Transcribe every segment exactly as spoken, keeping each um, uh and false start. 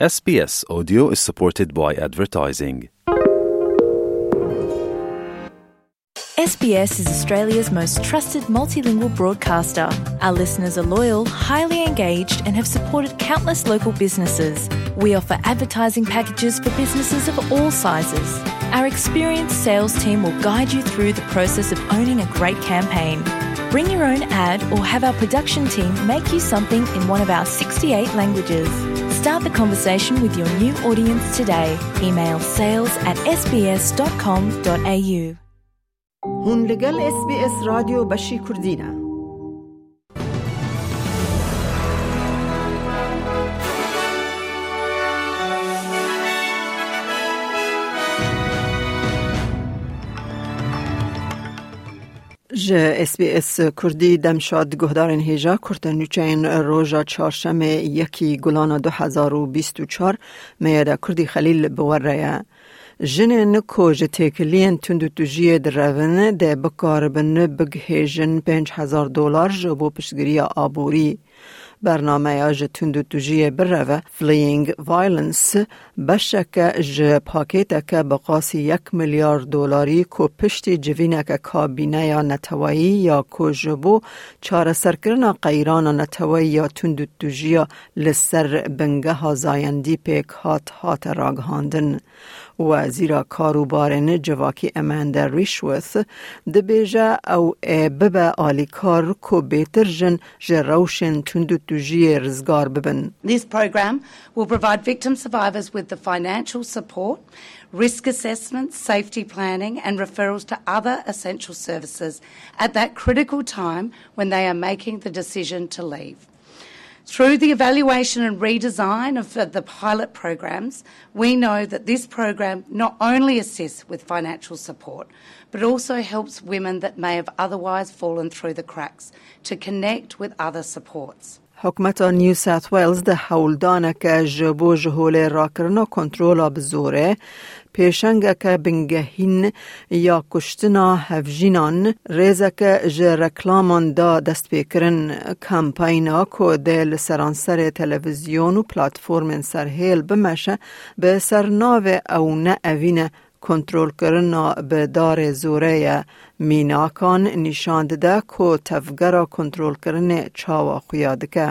S B S Audio is supported by advertising. S B S is Australia's most trusted multilingual broadcaster. Our listeners are loyal, highly engaged, and have supported countless local businesses. We offer advertising packages for businesses of all sizes. Our experienced sales team will guide you through the process of owning a great campaign. Bring your own ad or have our production team make you something in one of our sixty-eight languages. Start the conversation with your new audience today. Email sales at S B S dot com dot A U. Hûn li gel S B S Radyo Beşî Kurdî ne. Ji S B S Kurdî dem şad guhdarên hêja kurte nûçeyên roja çarşemê yekî Gulana du hezar û bîst û çar me ye de Kurdî Xelîl bi we re ye. Jinên ku ji têkiliyên tundûtûjiyê direvin dê bikaribin bigihêjin pênc hezar dolar ji bo piştgiriya aborî. Bernameya ji tundûtûjiyê bireve, Fleeing Violence, beşeke ji pakêteke bi qasî yek milyar dolarî ku piştî civîneke kabîneya neteweyî ya ku ji bo çareserkirina qeyrana neteweyî ya tundûtûjiya li ser bingeha zayendî pêk hat, hate ragihandin. Wezîra Karûbarên Civakî Amanda Rishworth dibêje ew ê bibe alîkar ku bêtir jin ji rewşên tundûtûjiyê rizgar bibin. This program will provide victim survivors with the financial support, risk assessments, safety planning, and referrals to other essential services at that critical time when they are making the decision to leave. Through the evaluation and redesign of the pilot programs, we know that this program not only assists with financial support, but also helps women that may have otherwise fallen through the cracks to connect with other supports. Hikûmeta New South Wales di hewldaneke ji bo ji holê rakirina kontrola bi zorê, pêşengeke bingehîn ya kuştina hevjînan, rêzeke ji reklaman da destpêkirin. Kampayna ku dê li seranserê televîzyon û platformên serhêl bimeşe, bi sernavê Ew ne evîne, kontrolkirina bi darê zorê ye, mînakan nîşan dide ku tevgera kontrolkirinê çawa xuya dike.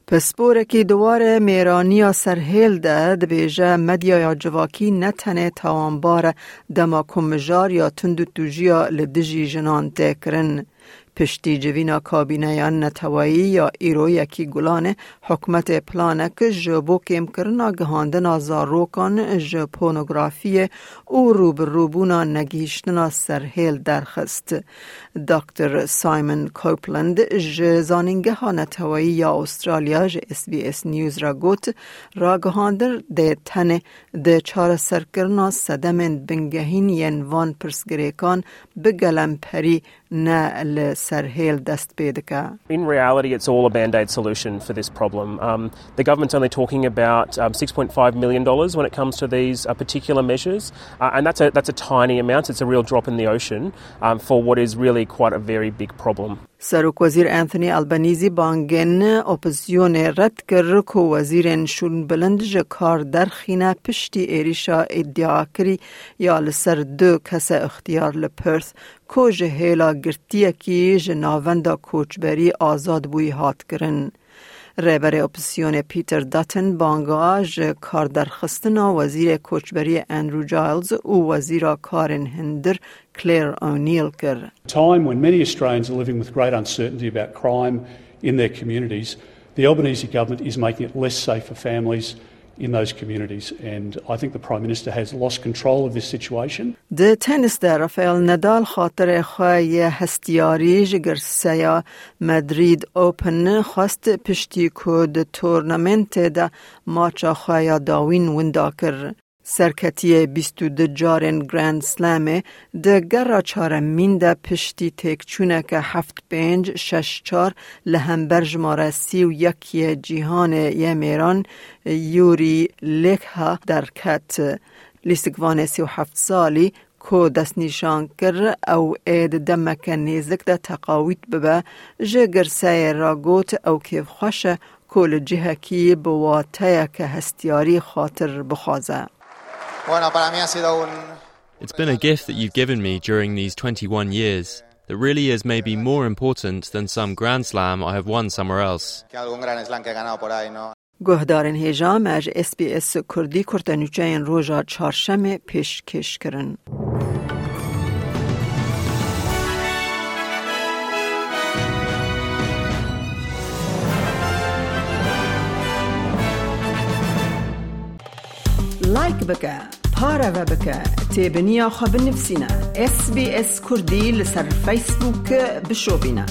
Pisporekî di warê mêraniya serhêl de dibêje, medyaya civakî ne tenê tawanbar e dema ku mijar ya tundûtûjiya li dijî jinan tê kirin. Piştî civîna kabîneya neteweyî ya îro yekî Gulanê, hikûmetê planek ji bo kêmkirina gihandina zarokan ji pornografiyê û rûbirûbûna negihîştina serhêl derxist. Doktor Simon Copeland ji Zanîngeha Neteweyî ya Australya ji S B S News re got, ragihandin dê tenê di çareserkirina sedemên bingehîn yên van pirsgirêkan bi gelemperî ne li serhêl dest pê dike. In reality, it's all a band-aid solution for this problem. Um, the government's only talking about, um, six point five million dollars when it comes to these, uh, particular measures, uh, and that's a, that's a tiny amount. It's a real drop in the ocean, um, for what is really quite a very big problem. Serokwezîr Anthony Albanese bangên opozîsyonê red kir ku wezîrên şûnbilind ji kar derxîne piştî êrîşa îdiakirî ya li ser du kese ixtiyar li Perth, ku ji hêla girtiyekî ji navenda koçberî azad bûyî hat kirin. Rêberê opozîsyonê Peter Dutton banga ji karderxistina wezîrê koçberiyê Andrew Giles û wezîra karên hundir Claire O'Neill kir. Time when many Australians are living with great uncertainty about crime in their communities, the Albanese government is making it less safe for families in those communities, and I think the Prime Minister has lost control of this situation. Di tenîs de Rafael Nadal xatirê xwe yê hestiyarî ji girseya Madrid Open xwest, piştî ku di tornamentê de maça xwe ya dawîn winda kir. Serketiyê bîst û du carên Grand Slamê di gera çaremîn de piştî têkçûneke heft pênc, şeş çar li hember jimare sî û yek yê cîhanê yê mêran Yuri Lekha derket. Lîstikvanê sî û heft salî ku destnîşan kir ew ê di demeke nêzik de teqawît bibe, ji girseyê re got ew kêfxweş e ku li cihekî bi wateyeke hestiyarî xatir bixwaze. Bueno, para mí ha sido un... It's been a gift that you've given me during these twenty-one years that really is maybe more important than some Grand Slam I have won somewhere else. Que algún gran slam que he ganado por ahí, ¿no? Guhdarên hêja, me ji S B S Kurdî kurtenûçeyên roja çarşemê pêşkêş kirin. Like bike, pareve bike, têbiniya xwe binivîsîne. S B S Kurdî li ser Facebook bişopîne.